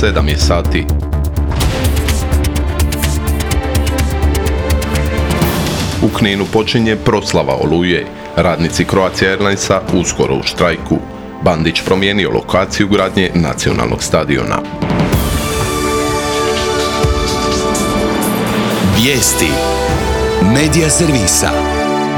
7 je sati. U Kninu počinje proslava Oluje. Radnici Croatia Airlinesa uskoro u štrajku. Bandić promijenio lokaciju gradnje nacionalnog stadiona. Vijesti Medija servisa.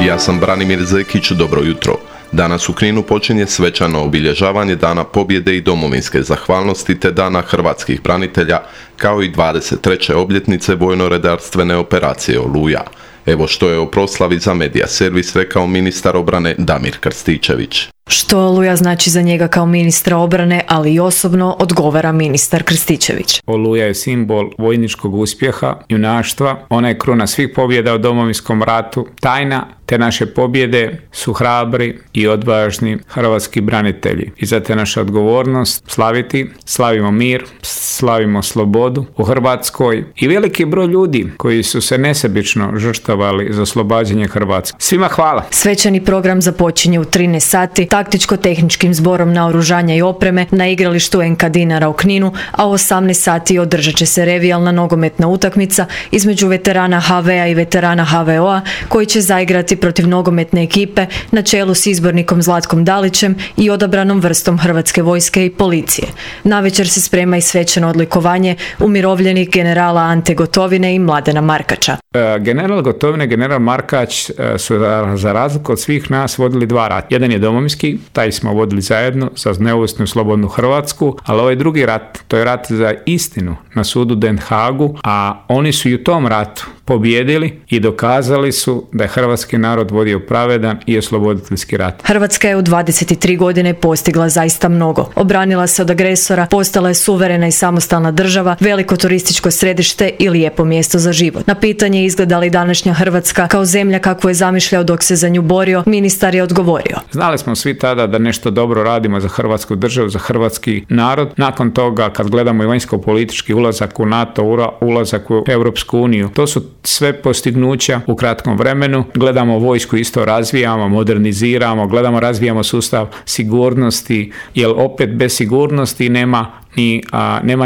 Ja sam Branimir Zekić, dobro jutro. Danas u Kninu počinje svečano obilježavanje Dana pobjede i domovinske zahvalnosti te Dana hrvatskih branitelja, kao i 23. obljetnice vojno-redarstvene operacije Oluja. Evo što je o proslavi za Medija servis rekao ministar obrane Damir Krstičević. Što Oluja znači za njega kao ministra obrane, ali i osobno, odgovara ministar Krstičević. Oluja je simbol vojničkog uspjeha, junaštva, ona je kruna svih pobjeda u Domovinskom ratu, tajna te naše pobjede su hrabri i odvažni hrvatski branitelji. I zato je naša odgovornost slaviti, slavimo mir, slavimo slobodu u Hrvatskoj i veliki broj ljudi koji su se nesebično žrtvovali za oslobađanje Hrvatske. Svima hvala. Svečani program započinje u 13 sati taktičko-tehničkim zborom naoružanja i opreme na igralištu NK Dinara u Kninu, a u 18 sati održat će se revijalna nogometna utakmica između veterana HV-a i veterana HVO-a koji će zaigrati protiv nogometne ekipe na čelu s izbornikom Zlatkom Dalićem i odabranom vrstom Hrvatske vojske i policije. Navečer se sprema i svečano odlikovanje umirovljenih generala Ante Gotovine i Mladena Markača. General Gotovina i general Markač su za razliku od svih nas vodili dva rata. Jedan je domovinski, taj smo vodili zajedno za neovisnu i slobodnu Hrvatsku, ali ovaj drugi rat, to je rat za istinu na sudu Den Hagu, a oni su i u tom ratu pobjedili i dokazali su da je hrvatski narod vodio pravedan i osloboditeljski rat. Hrvatska je u 23 godine postigla zaista mnogo. Obranila se od agresora, postala je suverena i samostalna država, veliko turističko središte i lijepo mjesto za život. Na pitanje izgleda li današnja Hrvatska kao zemlja kakvu je zamišljao dok se za nju borio, ministar je odgovorio. Znali smo svi tada da nešto dobro radimo za hrvatsku državu, za hrvatski narod. Nakon toga, kad gledamo i vanjsko-politički ulazak u NATO, ulazak u Europsku uniju, to su sve postignuća u kratkom vremenu. Gledamo vojsku, isto razvijamo, moderniziramo, razvijamo sustav sigurnosti, jer opet bez sigurnosti nema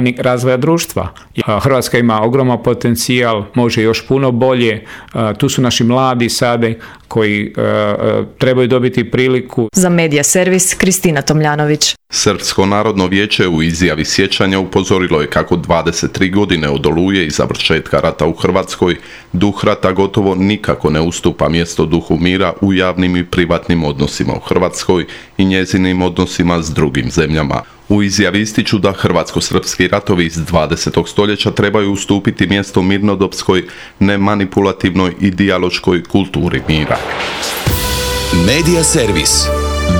ni razvoja društva. Hrvatska ima ogroman potencijal, može još puno bolje. Tu su naši mladi sada koji trebaju dobiti priliku. Za Medija servis Kristina Tomljanović. Srpsko narodno vijeće u izjavi sjećanja upozorilo je kako 23 godine od Oluje i završetka rata u Hrvatskoj duh rata gotovo nikako ne ustupa mjesto duhu mira u javnim i privatnim odnosima u Hrvatskoj i njezinim odnosima s drugim zemljama. U izjavi ističu da hrvatsko-srpski ratovi iz 20. stoljeća trebaju ustupiti mjesto mirnodopskoj, nemanipulativnoj i dijaloškoj kulturi mira. Medija servis.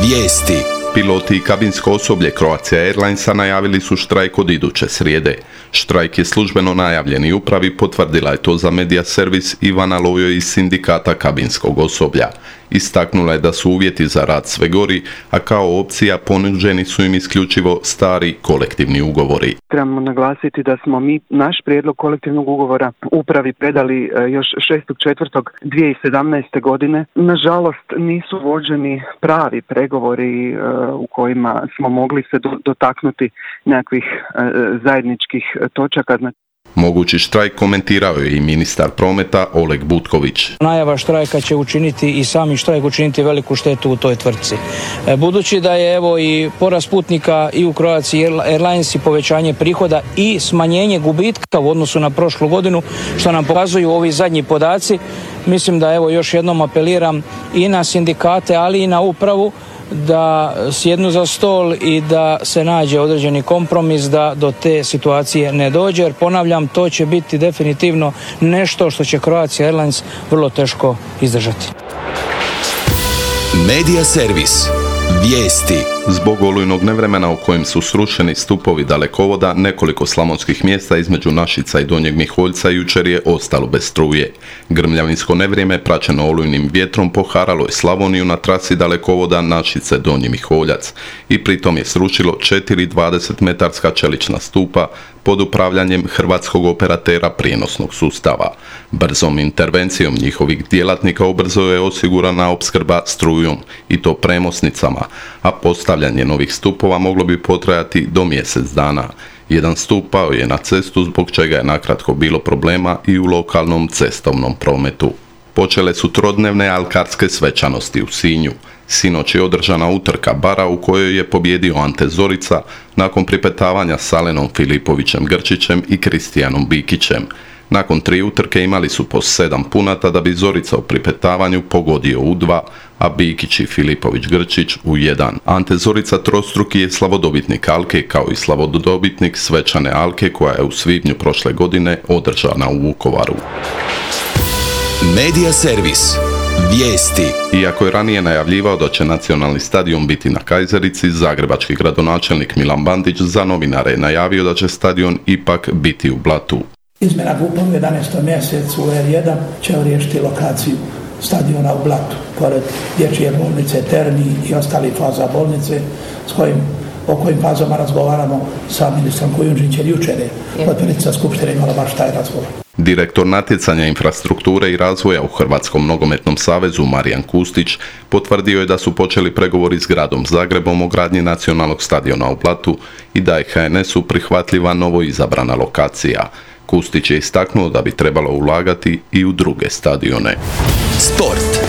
Vijesti. Piloti i kabinsko osoblje Croatia Airlinesa najavili su štrajk od iduće srijede. Štrajk je službeno najavljen i upravi potvrdila je to za Medija servis Ivana Lojo iz sindikata kabinskog osoblja. Istaknula je da su uvjeti za rad sve gori, a kao opcija ponuđeni su im isključivo stari kolektivni ugovori. Trebamo naglasiti da smo mi naš prijedlog kolektivnog ugovora upravi predali još 6.4.2017. godine. Nažalost nisu vođeni pravi pregovori u kojima smo mogli se dotaknuti nekakvih zajedničkih točaka. Mogući štrajk komentirao je i ministar prometa Oleg Butković. Najava štrajka će učiniti i sami štrajk učiniti veliku štetu u toj tvrtci. Budući da je evo i porast putnika i u Croatia Airlines i povećanje prihoda i smanjenje gubitka u odnosu na prošlu godinu, što nam pokazuju ovi zadnji podaci, mislim da evo još jednom apeliram i na sindikate, ali i na upravu da sjednu za stol i da se nađe određeni kompromis da do te situacije ne dođe, jer ponavljam, to će biti definitivno nešto što će Croatia Airlines vrlo teško izdržati. Medija servis. Vijesti. Zbog olujnog nevremena u kojem su srušeni stupovi dalekovoda, nekoliko slavonskih mjesta između Našica i Donjeg Miholjca jučer je ostalo bez struje. Grmljavinsko nevrijeme praćeno olujnim vjetrom poharalo je Slavoniju na trasi dalekovoda Našice-Donji Miholjac i pritom je srušilo 4 20-metarska čelična stupa pod upravljanjem hrvatskog operatera prijenosnog sustava. Brzom intervencijom njihovih djelatnika ubrzo je osigurana opskrba strujom i to premosnicama, a postavljanje novih stupova moglo bi potrajati do mjesec dana. Jedan stup pao je na cestu zbog čega je nakratko bilo problema i u lokalnom cestovnom prometu. Počele su trodnevne alkarske svečanosti u Sinju. Sinoć je održana utrka bara u kojoj je pobjedio Ante Zorica nakon pripetavanja s Alenom Filipovićem Grčićem i Kristijanom Bikićem. Nakon 3 utrke imali su po 7 punata da bi Zorica u pripetavanju pogodio u 2, a Bikić i Filipović Grčić u 1. Ante Zorica trostruki je slavodobitnik Alke kao i slavodobitnik svečane Alke koja je u svibnju prošle godine održana u Vukovaru. Medija servis. Vijesti. Iako je ranije najavljivao da će nacionalni stadion biti na Kajzerici, zagrebački gradonačelnik Milan Bandić za novinare je najavio da će stadion ipak biti u Blatu. Izmjena GUP-a u 11. mjesecu u R1 će riješiti lokaciju stadiona u Blatu, pored dječje bolnice, Terni i ostalih faza bolnice o kojim fazama razgovaramo sa ministrom Kujundžićem. Jučer je potpredsjednica Skupštine imala baš taj razgovor. Direktor natjecanja infrastrukture i razvoja u Hrvatskom nogometnom savezu Marijan Kustić potvrdio je da su počeli pregovori s gradom Zagrebom o gradnji nacionalnog stadiona u Blatu i da je HNS-u prihvatljiva novo izabrana lokacija. Kustić je istaknuo da bi trebalo ulagati i u druge stadione. Sport.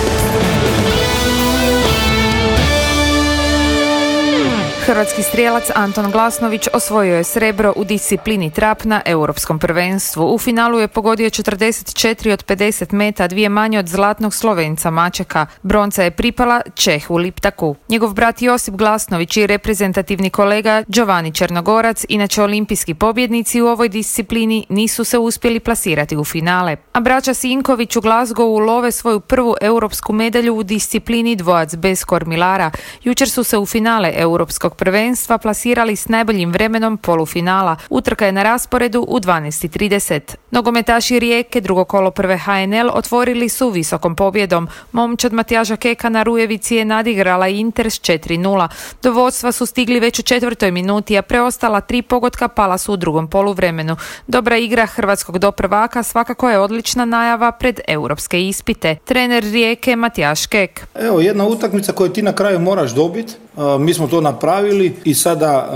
Hrvatski strijelac Anton Glasnović osvojio je srebro u disciplini trap na Europskom prvenstvu. U finalu je pogodio 44 od 50 meta, 2 manje od zlatnog Slovenca Mačeka. Bronca je pripala Čehu Liptaku. Njegov brat Josip Glasnović i reprezentativni kolega Giovanni Černogorac, inače olimpijski pobjednici u ovoj disciplini, nisu se uspjeli plasirati u finale. A braća Sinković u Glasgowu love svoju prvu europsku medalju u disciplini dvojac bez kormilara. Jučer su se u finale Europskog prvenstva plasirali s najboljim vremenom polufinala. Utrka je na rasporedu u 12:30. Nogometaši Rijeke, drugo kolo prve HNL, otvorili su visokom pobjedom. Momčad Matijaža Keka na Rujevici je nadigrala Inter s 4:0. Do vodstva su stigli već u 4. minuti, a preostala 3 pogotka pala su u drugom poluvremenu. Dobra igra hrvatskog doprvaka svakako je odlična najava pred europske ispite. Trener Rijeke Matijaš Kek. Evo, jedna utakmica koju ti na kraju moraš dobiti. Mi smo to napravili i sada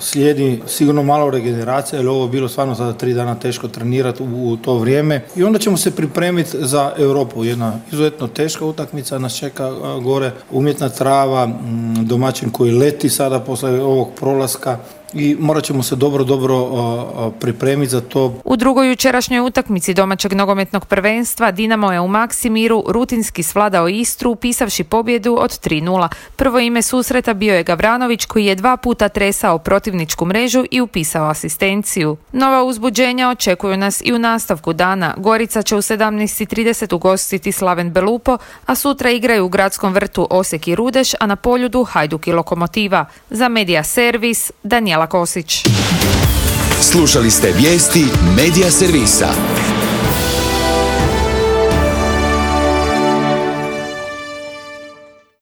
slijedi sigurno malo regeneracija, jer ovo je bilo stvarno sada 3 dana teško trenirati u to vrijeme i onda ćemo se pripremiti za Europu. Jedna izuzetno teška utakmica nas čeka gore, umjetna trava, domaćin koji leti sada posle ovog prolaska i morat ćemo se dobro pripremiti za to. U drugoj jučerašnjoj utakmici domaćeg nogometnog prvenstva Dinamo je u Maksimiru rutinski svladao Istru upisavši pobjedu od 3:0. Prvo ime susreta bio je Gavranović koji je 2 puta tresao protivničku mrežu i upisao asistenciju. Nova uzbuđenja očekuju nas i u nastavku dana. Gorica će u 17:30 ugostiti Slaven Belupo, a sutra igraju u Gradskom vrtu Osijek i Rudeš, a na Poljudu Hajduk i Lokomotiva. Za Medija servis Danijela Kosić. Slušali ste vijesti Medija servisa.